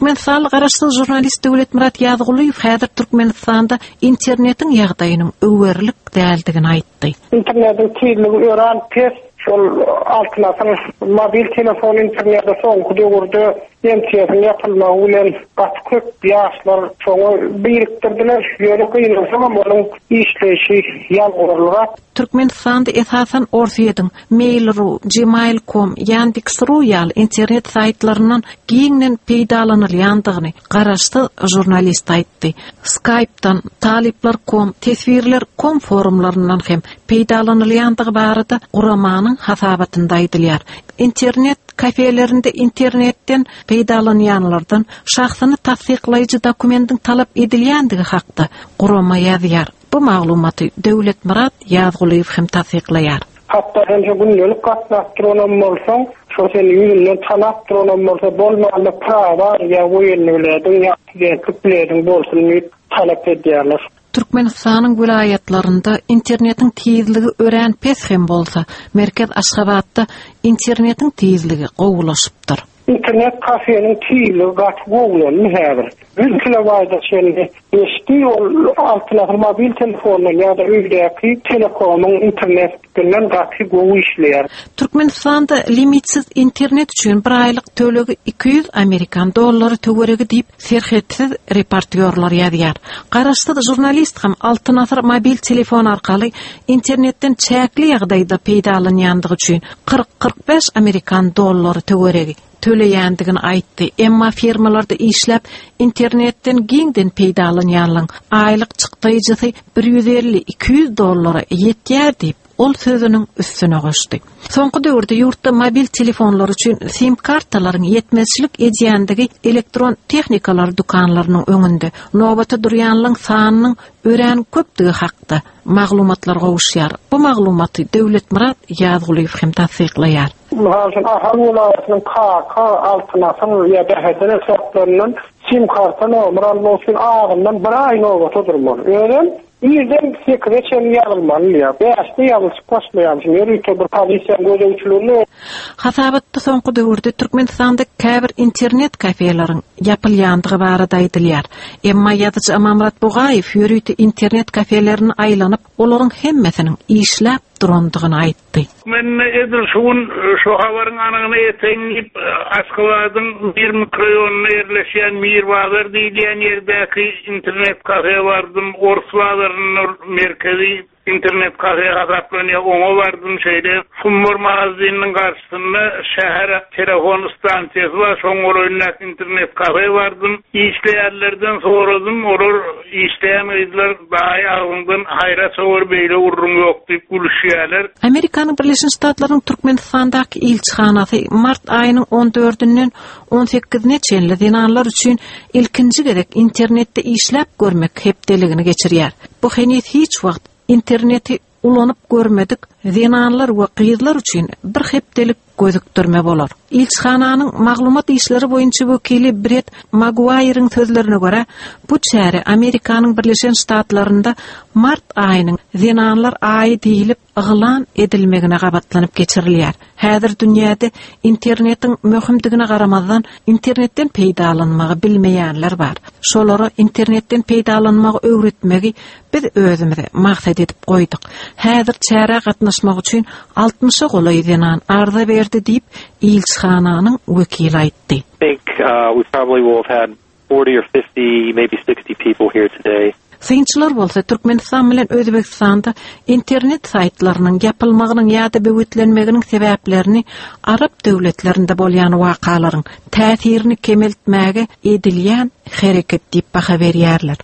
Türkmenistanly garaşsyz žurnalist Döwletmyrat Ýazgulyýew häzir Türkmenistanda internetiň ýagdaýynyň öwerlik däldigini aýtdy. Internetiň tizligi örän pes. Şol Altyn asyr mobil telefon interneti soňky döwürde MTS-iň ýapylmagy bilen gaty köp ýaşlar şoňa birikdirdiler. Ýöne gynansagam onuň işleýşi ýalňyzlyrak. Türkmenistanda esasan Orsýetiň Mail.ru, Gmail.com, Yandex.ru ýaly internet saýtlaryndan giňden peýdalanylýandygyny garaşsyz žurnalist aýtdy. Skype-dan, Talyplar. Com, Teswirler. Com forumlaryndan hem peýdalanylýandygy barada guramanyň hasabatynda aýdylýar. Internet kafelerinde internetden peýdalanýanlardan şahsyny tassyklaýjy dokumentiň talap edilýändigi hakda gurama ýazýar. Bu maglumaty Döwletmyrat Ýazgulyýew hem tassyklaýar. Hatda sen şo gündelik gatnap duranam bolsaň, şo seni ýüzünden tanap duranam bolsa, bolmanda prawa ýa woýennyý bilediň, ýa studentlik bilediň bolsun diýip talap edýärler. Türkmenistanyň welaýatlarynda internetiň tizligi örän pes hem bolsa, merkez Aşgabatda internetiň tizligi gowulaşypdyr. Internet kafeniň tizligi gaty gowulandy häzir. Ýüz kilobaýta çenli geçdi, ol Altyn asyr mobil telefondan ýa-da öýdäki telekomyň internetinden gaty gowy işleýär. Türkmenistanda limitsiz internet üçin bir aýlyk tölegi 200 amerikan dollary töweregi diýip, serhetsiz reportýorlar ýazýar. Garaşsyz žurnalist hem Altyn asyr mobil telefon arkaly internetden çäkli ýagdaýda peýdalanýandygy üçin 40-45 amerikan dollary töweregi töleýändigini aýtdy. Emma firmalarda işläp, internetden giňden peýdalanýanlaryň aýlyk çykdaýjysy 150-200 dollara ýetýär diýip, ol sözüniň üstüne goşdy. Soňky döwürde ýurtda mobil telefonlar üçin sim kartalaryň ýetmezçilik edýändigi elektron tehnikalar dükanlarynyň öňünde nobata durýanlaryň sanynyň örän köpdügi hakda maglumatlar gowuşýar. Bu maglumaty Döwletmyrat Ýazgulyýew hem tassyklaýar. Mysal üçin, Ahal welaýatynyň Kaka, Altyn asyr ýa Bäherden etraplaryndan sim karta nomer almak üçin azyndan bir aý nobata durmaly. Özem Irden sekize çenli ýazylmaly diýýär. Bäşde ýazylyşyp başlaýarmyşyn. Ýörite bir polisiýanyň gözegçiliginde. Hasabatda soňky döwürde Türkmenistanda käbir internet kafeleriň ýapylýandygy barada aýdylýar. Emma ýazyjy Amanmyrat Bugaýew ýörite internet kafelerine aýlanyp, olaryň hemmesiniň işläp durandygyny aýtdy. Men edil şu gün şu habaryň anygyna ýeteýin diýip, Aşgabadyň Mir mikroýonynda ýerleşýän Mir bazar diýilýän ýerdäki internet kafe bardym. Ors bazarynda merkezi internet kafe hasaplanýar, oňa bardym. Şeýle Sumbar magazininiň garşysynda şäher telefon stansiýasy bar, şoň golaýyndaky internet kafe bardym. Işleýänlerden soradym, olar Işleýän gyzlar daýy agzyňdan haýra çowar beýle gürrüň ýok diýip gülüşýäler. Amerikanyň Birleşen Ştatlarynyň Türkmenistandaky ilçihanasy mart aýynyň on dördünden on sekizine çenli zenanlar üçin ilkinji gezek internetde işläp görmek hepdeligini geçirýär. Bu heniz hiç wagt interneti ulanyp görmedik zenanlar we gyzlar üçin bir hepdelik gözükdirme bolar. Ilçihananyň maglumat işleri boýunça wekili Bret Maguaýryň sözlerine görä, bu çäre Amerikanyň Birleşen Ştatlarynda mart aýynyň Zenanlar aýy diýlip yglan edilmegine gabatlanyp geçirilýär. Häzir dünýäde internetiň möhümdigine garamazdan, internetden peýdalanmagy bilmeýänler bar. Şolara internetden peýdalanmagy öwretmegi Biz özümize maksat edip goýduk. Häzir çärä gatnaşmak üçin altmyşa golaý zenan arza berdi diýip, ilçihananyň wekili aýtdy. Think we probably will have had forty or fifty, maybe sixty people here today. Synçylar bolsa Türkmenistan bilen Özbegistanda internet saýtlarynyň ýapylmagynyň ýa-da böwetlenmeginiň sebäplerini arap döwletlerinde bolýan wakalaryň täsirini kemeltmäge edilýän hereket diýip baha berýärler.